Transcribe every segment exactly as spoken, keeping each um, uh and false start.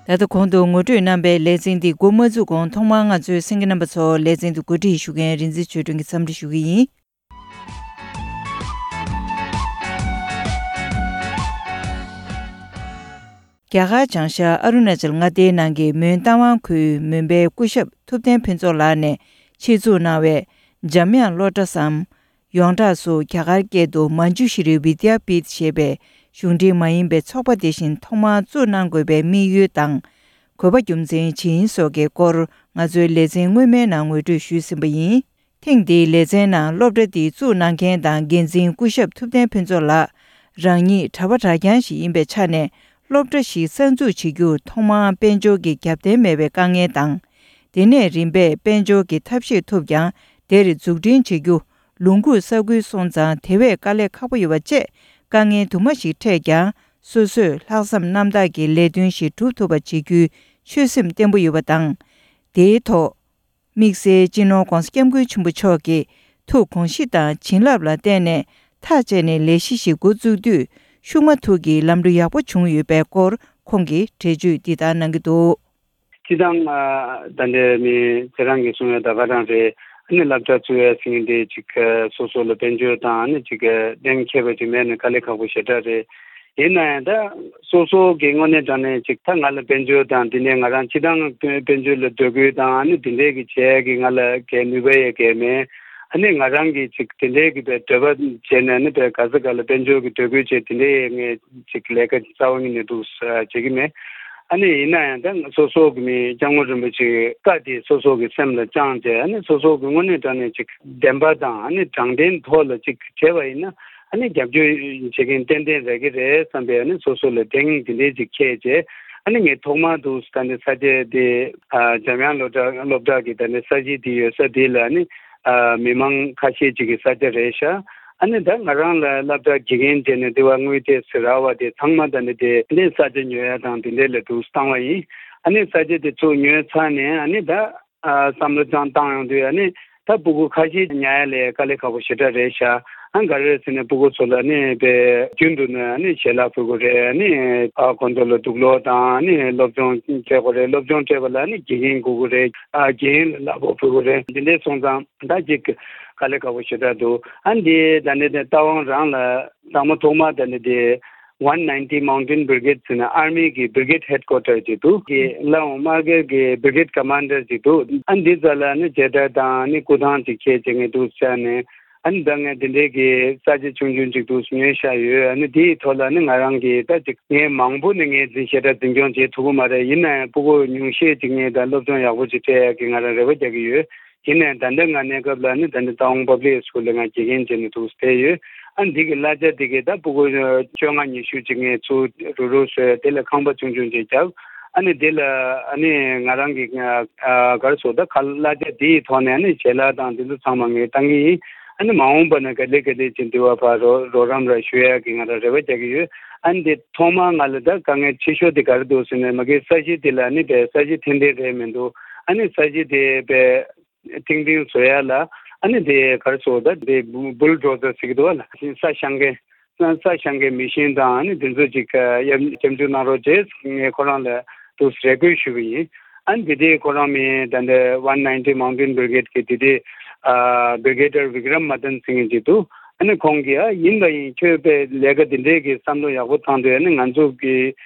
ད་ལྟ་གོང་དུ་ངོ་སྤྲོད་གནང་པའི་ལེ་ཚན་འདི་འགོ་མ་བཙུགས་གོང་ཐོག་མར་ང་ཚོའི་གསན་མཁན་རྣམ་པ་ཚོ་ལེ་ཚན་འདི་གོ་སྒྲིག་ཞུ་མཁན་རིག་འཛིན་ཆོས་སྒྲོན་གྱིས་འཚམས་འདྲི་ཞུ་གི་ཡིན། རྒྱ་གར་བྱང་ཤར་ཨ་རུ་ན་ཅལ་མངའ་སྡེའི་ནང་གི་མོན་རྟ་དབང་ཁུལ་མོན་པའི་སྐུ་ཞབས་ཐུབ་བསྟན་ཕུན་ཚོགས་ལགས་ནས་ཆེད་འཛུགས་གནང་བའི་འཇམ་དབྱངས་སློབ་གྲྭ་སམ། ཡོངས་གྲགས་སུ་རྒྱ་གར་སྐད་དུ་མན་ཇུ་ཤི་རི་བི་དྱ་པིཐ་ཞེས་པའི་གཞུང་འབྲེལ་མ་ཡིན་པའི་ཚོགས་པ་དེ་བཞིན་ཐོག་མར་བཙུགས་གནང་དགོས་པའི་དམིགས་ཡུལ་དང་། དགོས་པ་རྒྱུ་མཚན་ཇི་ཡིན་སོགས་ཀྱི་སྐོར་ང་ཚོའི་ལེ་ཚན་སྔོན་མའི་ནང་ངོ་སྤྲོད་ཞུས་ཟིན་པ་ཡིན། ཐེངས་འདིའི་ལེ་ཚན་ནང་སློབ་གྲྭ་འདི་བཙུགས་གནང་མཁན་དང་འགན་འཛིན་སྐུ་ཞབས་ཐུབ་བསྟན་ཕུན་ཚོགས་ལགས་རང་ཉིད་གྲྭ་པ་གྲྭ་རྐྱང་ཞིག་ཡིན་པའི་ཆ་ནས་སློབ་གྲྭ་ཞིག་གསར་འཛུགས་བྱེད་རྒྱུར་ཐོག་མར་དཔལ་འབྱོར་གྱི་རྒྱབ་རྟེན་མེད་པའི་དཀའ་ངལ་དང་། དེ་ནས་རིམ་པས་དཔལ་འབྱོར་གྱི་ཐབས་ཤེས་ཐུབ་ཀྱང་དེར་འཛུགས་སྐྲུན་བྱེད་རྒྱུ་ལུང་ཁུག་ས་ཁུལ་སོང་ཙང་དེ་བས་དཀའ་ལས་ཁག་པོ་ཡོད་པ་བཅས་དཀའ་ངལ་དུ་མ་ཞིག་འཕྲད་ཀྱང་སོ་སོས་ལྷག་བསམ་རྣམ་དག་གིས་ལས་དོན་ཞིག་སྒྲུབ་ཐུབ་པ་བྱེད་རྒྱུའི་ཆོད་སེམས་བརྟན་པོ་ཡོད་པ་དང་། དེའི་ཐོག་དམིགས་བསལ་སྤྱི་ནོར་༧གོང་ས་༧སྐྱབས་མགོན་ཆེན་པོ་མཆོག་གིས་ཐུགས་དགོངས་གཞི་དང་བྱིན་རླབས་ལ་བརྟེན་ནས་ཐག་བཅད་ནས་ལས་གཞི་ཞིག་འགོ་བཙུགས་དུས་ཤུགས་མ་ཐུག་གི་ལམ་འགྲོ་ཡག་པོ་བྱུང་ཡོད་པའི་སྐོར་ཁོང་གིས་འགྲེལ་བརྗོད་འདི་ལྟར་གནང་གི་འདུག། སྤྱི་བཏང་ཨ་ད་ལྟའི་མི་ཁྱེད་རང་གིས་གསུངས་ཡ་ད་ག་རང་རེད། ཨ་ནི་སློབ་གྲྭ་བཙུགས་ཡ་ཟེར་མཁན་དེ་ཅིག་ཨ་སོ་སོ་ལ་དཔལ་འབྱོར་དང་ཨ་ནི་ཅིག་ཨ་གཏན་འཁེལ་བ་ཅིག་མེད་ན་དཀའ་ལས་ཁག་པོ་ཞེ་དྲག་རེད། ཡིན་ན་ཡང་ད་སོ་སོ་གི་དངོས་གནས་དྲང་གནས་ཅིག་ད་ང་ལ་དཔལ་འབྱོར་དང་དེ་ནས་ང་རང་སྤྱི་བཏང་དཔལ་འབྱོར་ལ་འདོད་དགོས་དང་ཨ་ནི་དེ་འདྲས་ཀྱི་བྱས་ཀྱི་ང་ལ་གའི་ནུས་པ་ཡོད་གའི་མེད། ཨ་ནི་ང་རང་གིས་ཅིག་དེ་འདྲས་ཀྱི་པའི་འདོད་པ་བྱས་ནས་ཨ་ནི་པའི་ག་ས་ག་ལ་དཔལ་འབྱོར་གྱི་འདོད་དགོས་བྱས་དེ་འདྲས་ངས་ཅིག་ལས་ཀ་རྩ་བ་ཉིད་ནས་འདུག་བྱེད་ཀྱི་མེད། ཨ་ནི་ཡིན་ན་ཡང་ད་སོ་སོ་གི་མི་སྐྱབས་མགོན་རིན་པོ་ཆེའི་བཀའ་དེ་སོ་སོ་གི་སེམས་ལ་བཅངས་ཏེ་ཨ་ནི་སོ་སོ་གི་དངོས་གནས་དྲང་གནས་ཅིག་བདེན་པ་དང་ཨ་ནི་དྲང་བདེན་ཐོག་ལ་ཅིག་བྱས་པ་ཡིན་ན་ཨ་ནི་རྒྱབ་སྐྱོར་བྱེད་མཁན་ཏན་ཏན་རག་གི་རེད་བསམ་པའི་ཨ་ནི་སོ་སོ་ལ་གདེང་དེ་འདྲས་ཅིག་འཁེལ་བྱས་ཨ་ནི་ངས་ཐོག་མར་དུ་ད་ནི་ས་ཆ་དེ་ཨ་འཇམ་དབྱངས་སློབ་གྲྭ་སློབ་གྲྭ་གི་ད་ནི་ས་གཞི་དེ་ཡོད་ས་དེ་ལ་ཨ་ནི་ཨ་མི་མང་ཁ་ཤས་ཅིག་གི་ས་ཆ་རེད་ཤག་ཨ་ནི་ད་ང་རང་ལ་སློབ་གྲྭ་དགེ་རྒན་བྱས་ནས་དེ་བ་དངུལ་དེ་ཟེར་བ་དེ་ཚང་མ་ད་ནི་དེ་ལས་ས་ཆ་ཉོ་ཡ་དང་དེ་འདྲས་ལ་འདུག་བཏང་བ་ཡིན། ཨ་ནི་ས་ཆ་དེ་ཚུར་ཉོས་ཚར་ནས་ཨ་ནི་ད་ཨ་བསམ་བློ་ཅང་བཏང་ཡོང་དུས་ཨ་ནི་ད་སྤུ་གུ་ཁ་ཤས་ཉར་ཡ་ལས་དཀའ་ལས་ཁག་པོ་ཞེ་དྲག་རེད་ཤག་ཨ་ག་རེ་ཟེར་ན་སྤུ་གུ་ཚོ་ལ་ཨ་ནི་དཔེ་རྒྱུན་དུ་ནས་ཨ་ནི་ཞལ་ལག་ཕུལ་དགོས་རེད། ཨ་ནི་ཨ་ཁོང་ཚོ་ལ་དུག་ལོག་དང་ཨ་ནི་སློབ་སྦྱོང་བྱེད་དགོས་རེད། སློབ་སྦྱོང་སྤྲད་པ་ལ་ཨ་ནི་དགེ་རྒན་དགོས་ཀྱི་རེད། ཨ་དགེ་རྒན་ལ་གླ་ཕོགས་ཕུལ་དགོས་རེད། འདི་འདྲས་སོང་ཙང་། ད་ཅིག་དཀའ་ལས་ཁག་པོ་ཞེ་དྲག་འདུག་ཨ་འདི་ད་ནི་དེ་རྟ་དབང་རང་ལ་དང་པོ་ཐོག་མ་ད་ནི་དེ་One ninety Mountain Brigade ཟེར་ན་ཨར་མི་གི་བྷི་རི་གེད་ཧེཌ་ཀོ་ཊར་ཅིག་འདུག་གི་ལའོ་དམག་སྒར་གི་བྷི་རི་གེད་ཀ་མན་ཌར་ཅིག་འདུག་ཨ་འདི་ཙ་ལ་ནི་མཇལ་དར་དང་ནི་སྐུ་ཐང་ཅིག་ཁྱེར་བྱས་ངས་འདུག་བཅར་ནས་ཨ་ནི་ད་ངས་དེ་འདྲའི་གི་ས་ཆ་ཆུང་ཆུང་ཅིག་འདུག་ཉོས་བཞག་ཡོད། ཨ་ནི་དེའི་ཐོག་ལ་ནི་ང་རང་གི་ད་ཅིག་ངས་མང་པོ་ནི་ངས་འཛིན་ཞེ་དྲག་འཛིན་སྐྱོང་བྱེད་ཐུབ་ཀྱི་མ་རེད། ཡིན་ན་ཡང་སྤུ་གུ་ཉུང་ཤས་ཅིག་ངས་ད་སློབ་སྦྱོང་ཡག་པོ་ཅིག་སྤྲད་ཡག་གི་ང་རང་རེ་བ་རྒྱག་གི་ཡོད། དེ་ནས་ད་ལྟ་ང་གནས་སྐབས་ལ་ནི་ད་ནི་ཏའོ་ཝང་པབ་ལིག་སི་ཀུལ་ལ་ང་དགེ་རྒན་བྱས་ནས་འདུག་བསྡད་ཡོད། ཨ་འདི་གི་གླ་ཆ་འདི་གི་ད་སྤུ་གུ་བཅོ་ལྔ་ཉི་ཤུ་ཅིག་ངས་ཚུར་རུག་རུག་བཟོས། དེ་ལ་ཁང་པ་ཆུང་ཆུང་ཅིག་བརྒྱབ། ཨ་ནི་དེ་ལ་ཨ་ནི་ང་རང་གི་ཨ་ག་རེ་ཟེར་ད་ག་གླ་ཆ་འདི་ཡི་ཐོག་ནས་ཨ་ནི་ཞལ་ལག་དང་འདི་ཚོ་ཚང་མ་ངས་བཏང་གི་ཡིན། ཨ་ནི་མ་འོངས་པ་ན་ག་ལེ་ག་ལེ་ཅིག་འདི་བ་ཕར་རོགས་རོགས་རམ་ར་ཞུ་ཡག་གི་ང་རང་རེ་བ་རྒྱག་གི་ཡོད། ཨ་ནི་དེ་ཐོག་མར་ང་ལ་ད་དཀའ་ངལ་ཆེ་ཤོས་དེ་ག་རེ་འདུག་ཟེར་ན་མ་གི་ས་གཞི་དེ་ལ་ཨ་ནི་དེ་ས་གཞི་འཐེན་འཐེན་རེད་མི་འདུག་ཨ་ནི་ས་གཞི་དེ་དཔེ་ཐིང་ཐིང་བཟོ་ཡ་ལ་ཨ་ནི་དེ་ག་རེ་ཟེར་ད་དེ་བུལ་ཌོ་ཛར་ཟེར་གི་འདུག་བ་ལ། ས་བཤང་མཁན་ས་བཤང་མཁན་མི་ཤིན་དང་ཨ་ནི་དེ་ཚོ་ཅིག་ཡར་སྐྱབས་འཇུག་གནང་རོགས་བྱས་ངས་ཁོ་རང་ལ་དུ་རེ་སྐུལ་ཞུས་པ་ཡིན། ཨ་ནི་དེ་དེ་ཁོ་རང་མི་ད་ལྟ་One ninety Mountain Brigade གི་དེ་དེ་ཨ་བྷི་རི་གེ་ཌར་བི་ཀྲམ་མ་དན་ཟེར་མཁན་ཅིག་འདུག་ཨ་ནི་ཁོང་གིས་ཨ་ཡིན་པ་ཡིན་ཁྱོད་དཔེ་ལས་ཀ་དེ་འདྲས་ཀྱི་བསམ་བློ་ཡག་པོ་བཏང་དུས་ཨ་ནི་ང་ཚོ་གི་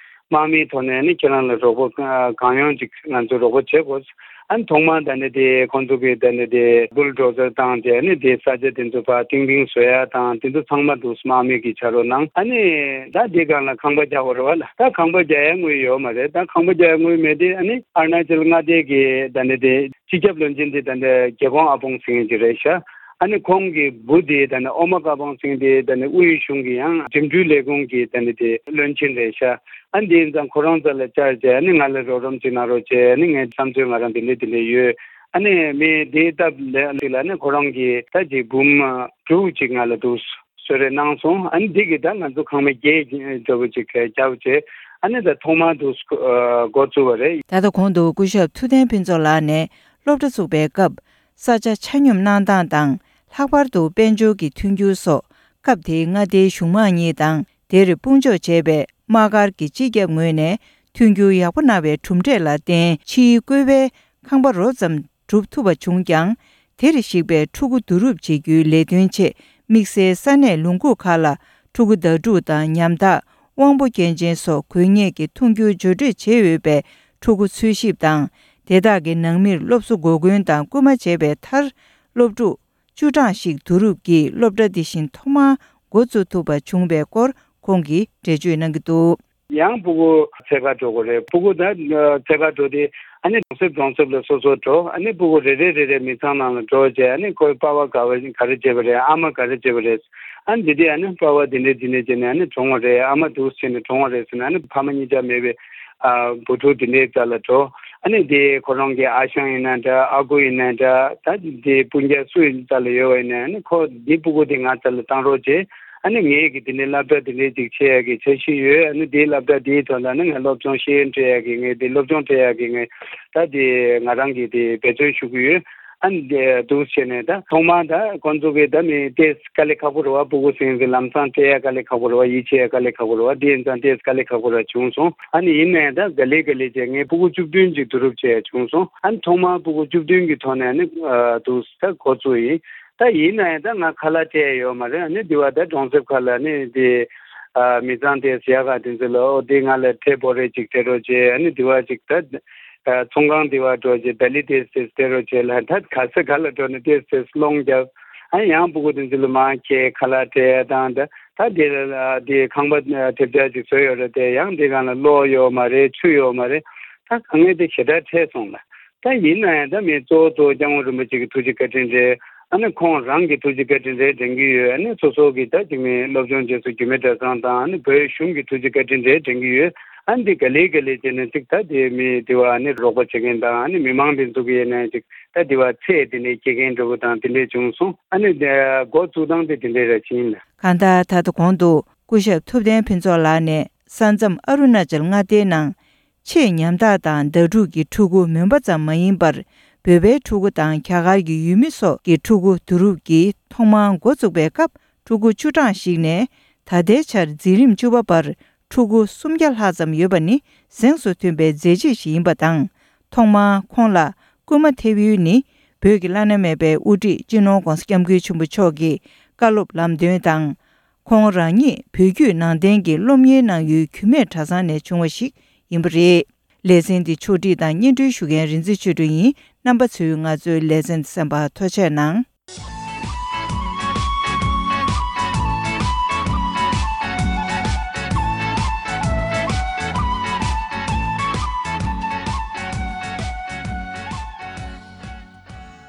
དམག་མིའི་ཐོག་ནས་ནི་ཁྱེད་རང་ལ་རོགས་པ་གང་ཡོང་ཅིག་ང་ཚོ་རོགས་པ་བྱེད་དགོས། ཨ་ནི་ཐོག་མར་ད་ནི་དེ་ཁོང་ཚོ་གིས་ད་ནི་དེ་བུལ་ཌོ་ཛར་བཏང་རྗེས་ནི་དེ་ས་ཆ་དེ་ཚོ་ཕར་ཏིང་ཏིང་བཟོ་ཡ་དང་དེ་ཚོ་ཚང་མ་འདུག་དམག་མི་གིས་ཕྱག་རོགས་གནང་། ཨ་ནི་ད་དེ་སྒང་ལ་ཁང་པ་རྒྱག་དགོས་རེད་བ་ལ། ད་ཁང་པ་རྒྱག་ཡ་དངུལ་ཡོད་མ་རེད། ད་ཁང་པ་རྒྱག་ཡ་དངུལ་མེད་དེ་ཨ་ནི་ཨ་རུ་ན་ཅལ་མངའ་སྡེ་གི་ད་ནི་དེ་སྤྱི་ཁྱབ་བློན་ཆེན་དེ་ད་ནི་རྒྱལ་ཁོང་ཨ་པོང་ཟེར་མཁན་ཅིག་རེད་ཤག་ཨ་ནི་ཁོང་གི་བུ་དེ་ད་ནི་ཨོ་མ་ཀ་པང་སིང་དེ་ད་ནི་དབུས་གཞུང་གི་ཡང་འགྲིམ་འགྲུལ་ལས་ཁུངས་ཀྱི་ད་ནི་དེ་བློན་ཆེན་རེད་ཤག་ཨ་ནི་དེ་ཡིན་ཙང་ཁོ་རང་རྩ་ལ་བཅར་རྗེས་ཨ་ནི་ང་ལ་རོགས་རམ་ཅིག་གནང་རོགས་བྱས། ཨ་ནི་ངའི་བསམ་ཚུལ་ང་རང་དེ་འདྲ་དེ་འདྲ་ཡོད། ཨ་ནི་མི་དེའི་སྟབས་ལེགས་ལ་ཨ་ནི་ཁོ་རང་གིས་ད་ཅིག་འབུམ་དྲུག་ཅིག་ང་ལ་འདུག་གསོལ་རས་གནང་སོང་། ཨ་ནི་འདི་གིས་ད་ང་ཚོ་ཁང་མིག་བརྒྱད་འདྲ་པོ་ཅིག་བརྒྱབ་བྱས་ཨ་ནི་ད་ཐོག་མར་དུ་འགོ་བཙུགས་པ་རེད། ད་ལྟ་གོང་དུ་སྐུ་ཞབས་ཐུབ་བསྟན་ཕུན་ཚོགས་ལགས་ནས་སློབ་གྲྭ་བཙུགས་པའི་སྐབས་ས་ཆ་ཆ་སྙོམས་གནང་སྟངས་དང་། ལྷག་པར་དུ་དཔལ་འབྱོར་གྱི་མཐུན་འགྱུར་སོགས་སྐབས་དེའི་མངའ་སྡེའི་གཞུང་མང་གཉིས་དང་དེར་དཔུང་འཇོག་བྱས་པའི་དམག་སྒར་གྱི་སྤྱི་ཁྱབ་ངོས་ནས་ མཐུན་འགྱུར་ཡག་པོ་གནང་བའི་གྲུབ་འབྲས་ལ་བརྟེན། ཕྱིའི་བཀོད་པའི་ཁང་པ་རོབ་ཙམ་གྲུབ་ཐུབ་པ་བྱུང་ཀྱང་། དེར་གཞིགས་པའི་ཕྲུ་གུ་བསྡུ་རུབ་བྱེད་རྒྱུའི་ལས་དོན་ཆེད། དམིགས་བསལ་ས་གནས་ལུང་ཁུག་ཁག་ལ་ཕྲུ་གུ་ཟླ་དྲུག་དང་ཉམ་ཐག་དབང་པོ་སྐྱོན་ཅན་སོགས་དགོས་ངེས་ཀྱི་མཐུན་འགྱུར་བརྒྱུད་སྤྲོད་བྱས་ཡོད་པའི་ཕྲུ་གུ་འཚོལ་ཞིབ་དང་། དེ་དག་གི་ནང་མིར་སློབ་གསོ་འགོ་འཁོན་དང་སྐུལ་མ་བྱས་པའི་མཐར། སློབ་ཕྲུག་བཅུ་གྲངས་ཤིག་བསྡུ་རུབ་ཀྱིས་སློབ་གྲྭ་འདི་བཞིན་ཐོག་མར་འགོ་བཙུགས་ཐུབ་པ་བྱུང་བའི་སྐོར་ཁོང་གིས་འགྲེལ་བརྗོད་གནང་གི་འདུག། ཡང་ཕྲུ་གུ་འཚོལ་ག་འགྲོ་དགོས་རེད། ཕྲུ་གུ་ད་འཚོལ་ག་འགྲོ་དུས་ཨ་ནི་གྲོང་གསེབ་གྲོང་གསེབ་ལ་སོ་སོ་འགྲོ། ཨ་ནི་ཕྲུ་གུ་རེ་རེ་རེ་རེ་མི་ཚང་ནང་ལ་འགྲོ་བྱས། ཨ་ནི་ཁོའི་པ་ཕ་ག་བ་ག་རེ་བྱེད་པ་རེད། ཨ་མ་ག་རེ་བྱེད་པ་རེད། ཨ་ནི་འདི་དུས་ཨ་ནི་པ་ཕ་འདི་འདྲས་འདི་འདྲས་བྱས་ནས་ཨ་ནི་གྲོངས་པ་རེད། ཨ་མ་འདུག་སེ་བྱས་ནས་གྲོངས་པ་རེད་ཟེར་ནས། ཨ་ནི་ཕ་མ་གཉིས་ཆ་མེད་པའི་ཨ་བུ་ཕྲུག་འདི་འདྲའི་རྩ་ལ་འགྲོ། ཨ་ནི་དེ་ཁོ་རང་གི་ཨ་ཞང་ཡིན་ན་འདྲ། ཨ་ཁུ་ཡིན་ན་འདྲ། ད་དེ་སྤུན་ཀྱག་སུ་ཡིན་རྩ་ལ་ཡོད་པ་ཡིན་ན། ཨ་ནི་ཁོ་འདི་ཕྲུ་གུ་དེ་ང་རྩ་ལ་བཏང་རོགས་བྱེད། ཨ་ནི་ངས་ཀྱི་དེ་འདྲའི་སློབ་གྲྭ་དེ་འདྲའི་ཅིག་ཆེ་ཡ་གི་འཆར་གཞི་ཡོད། ཨ་ནི་དེའི་སློབ་གྲྭ་དེའི་ཐོག་ལ་ཨ་ནི་ང་སློབ་སྦྱོང་ཤེས་ཡོན་སྤྲད་ཡ་གི་ངས་དེ་སློབ་སྦྱོང་སྤྲད་ཡ་གི་ངས་ད་དེ་ང་རང་གིས་དེ་འབད་བརྩོན་ཞུ་གི་ཡོད། ཨ་ནི་དེ་འདུག་བྱས་ནས་ད་ཐོག་མར་ད་ཁོང་ཚོ་གི་ད་མི་ཏོག་ཙམ་དཀའ་ལས་ཁག་པོ་རེད་བ། ཕྲུ་གུ་ཟེར་མཁན་དེ་ལམ་སང་སྤྲད་ཡ་དཀའ་ལས་ཁག་པོ་རེད་བ། ཡིད་ཆེས་ཡ་དཀའ་ལས་ཁག་པོ་རེད་བ། དེ་ཡིན་ཙང་ཏོག་ཙམ་དཀའ་ལས་ཁག་པོ་ར་བྱུང་སོང་། ཨ་ནི་ཡིན་ནའི་ད་ག་ལེ་ག་ལེ་བྱས་ངས་ཕྲུ་གུ་བཅུ་བདུན་ཅིག་བསྡུ་རུབ་བྱས་ཡ་བྱུང་སོང་། ཨ་ནི་ཐོག་མར་ཕྲུ་གུ་བཅུ་བདུན་གི་ཐོག་ནས་ཨ་ནི་ཨ་འདུག་ད་འགོ་བཙུགས་ཡིན། ད་ཡིན་ནའི་ད་ང་ཁ་ལག་སྤྲད་ཡ་ཡོད་མ་རེད། ཨ་ནི་འདི་བ་ད་གྲོང་གསེབ་ཁག་ལ་ཨ་ནི་དེ་ཨ་མི་ཚང་དེ་ཟེར་ཡ་ག་དེ་ཚོ་ལ། ཨོ་དེ་ང་ལ་ཁྲལ་བོ་རེ་ཅིག་སྤྲད་རོགས་བྱེད། ཨ་ནི་འདི་བ་ཅིག་ད་ཨ་ཚོང་ཁང་འདི་བ་འགྲོ་བྱེད། ད་ལི་ཏོག་ཙམ་སྤྲད་རོགས་བྱེད་ལ། ད་ག་ས་ག་ལ་འགྲོ་ནས་ཏོག་ཙམ་སློང་རྒྱབ། ཨ་ནི་ཡང་ཕྲུ་གུ་དེ་ཚོ་ལ་མར་ཁྱེར་ཁ་ལག་སྤྲད་ཡ་དང་། ད་ད་དེ་ལ་དེ་ཁང་པ་ཐེབས་ཆག་ཅིག་བཟོས་ཡོད་རེད་དེ། ཡང་དེ་སྒང་ལ་གློག་ཡོད་མ་རེད། ཆུ་ཡོད་མ་རེད། ད་དཀའ་ངལ་དེ་ཞེ་དྲག་འཕྲད་སོང་ལ། ད་ཡིན་ན་ཡང་ད་མི་གཙོ་བོ་གཙོ་བོ་སྐྱབས་མགོན་རིན་པོ་ཆེ་གི་ཐུགས་རྗེ་བཀའ་དྲིན་རེད། ཨ་ནི་ཁོང་རང་གི་ཐུགས་རྗེ་བཀའ་དྲིན་རེད་དྲན་གྱི་ཡོད། ཨ་ནི་སོ་སོ་གི་ད་ཅིག་མི་སློབ་སྦྱོང་བྱེད་སའི་རྒྱུད་སྨད་གྲྭ་ཚང་དང་། ཨ་ནི་བོད་གཞུང་གི་ཐུགས་རྗེ་བཀའ་དྲིན་རེད་དྲན་གྱི་ཡོད། ཨ་ནི་འདི་ག་ལེ་ག་ལེ་བྱས་ནས་ཅིག་ད་དེ་མི་དེ་བ་ཨ་ནི་རོགས་པ་བྱེད་མཁན་དང་། ཨ་ནི་མི་མང་དེ་ཚོ་གི་ཡིན་ན་ཅིག་ད་དེ་བ་ཚད་དེ་འདྲའི་སྐྱེལ་མཁན་འདྲ་བོ་དང་དེ་འདྲས་བྱུང་སོང་། ཨ་ནི་དེ་འགོ་བཙུགས་སྟངས་དེ་དེ་འདྲས་ར་ཕྱིན་ལ། གང་ལྟར་ད་ལྟ་གོང་དུ་སྐུ་ཞབས་ཐུབ་བསྟན་ཕུན་ཚོགས་ལགས་ནས་ས་མཚམས་ཨ་རུ་ན་ཅལ་མངའ་སྡེའི་ནང་ཆེས་ཉམ་ཐག་དང་ཟླ་དྲུག་གི་ཕྲུ་གུ་མོན་པ་ཙམ་མ་ཡིན་པར། བོད་པའི་ཕྲུ་གུ་དང་རྒྱ་གར་གྱི་ཡུལ་མི་སོགས་ཀྱི་ཕྲུ་གུ་བསྡུ་རུབ་ཀྱིས་ཐོག་མར་འགོ་བཙུགས་པའི་སྐབས། ཕྲུ་གུ་བཅུ་གྲངས་ཤིག་ནས་ད་ལྟའི་ཆར་འཛིན་རིམ་བཅུ་པ་བར་ཕྲུ་གུ་སུམ་བརྒྱ་ལྷག་ཙམ་ཡོད་པ་ནི་གཟེངས་སུ་ཐོན་པའི་མཛད་རྗེས་ཤིག་ཡིན་པ་དང་། ཐོག་མར་ཁོང་ལ་སྐུལ་མ་ཐེབས་ཡུལ་ནི། བོད་ཀྱི་བླ་ན་མེད་པའི་དབུ་ཁྲིད་སྤྱི་ནོར་༧གོང་ས་༧སྐྱབས་མགོན་ཆེན་པོ་མཆོག་གི་བཀའ་སློབ་ལམ་སྟོན་དང་། ཁོང་རང་ཉིད་བོད་བརྒྱུད་ནང་བསྟན་གྱི་སློབ་གཉེར་གནང་ཡུལ་རྒྱུད་སྨད་གྲྭ་ཚང་ནས་བྱུང་བ་ཞིག་ཡིན་པ་རེད། ལེ་ཚན་འདི་ཕྱོགས་སྒྲིག་དང་སྙན་སྒྲོན་ཞུ་མཁན་རིག་འཛིན་ཆོས་སྒྲོན་ཡིན། རྣམ་པ་ཚོས་ང་ཚོའི་ལེ་ཚན་གསན་པར་ཐུགས་རྗེ་གནང་།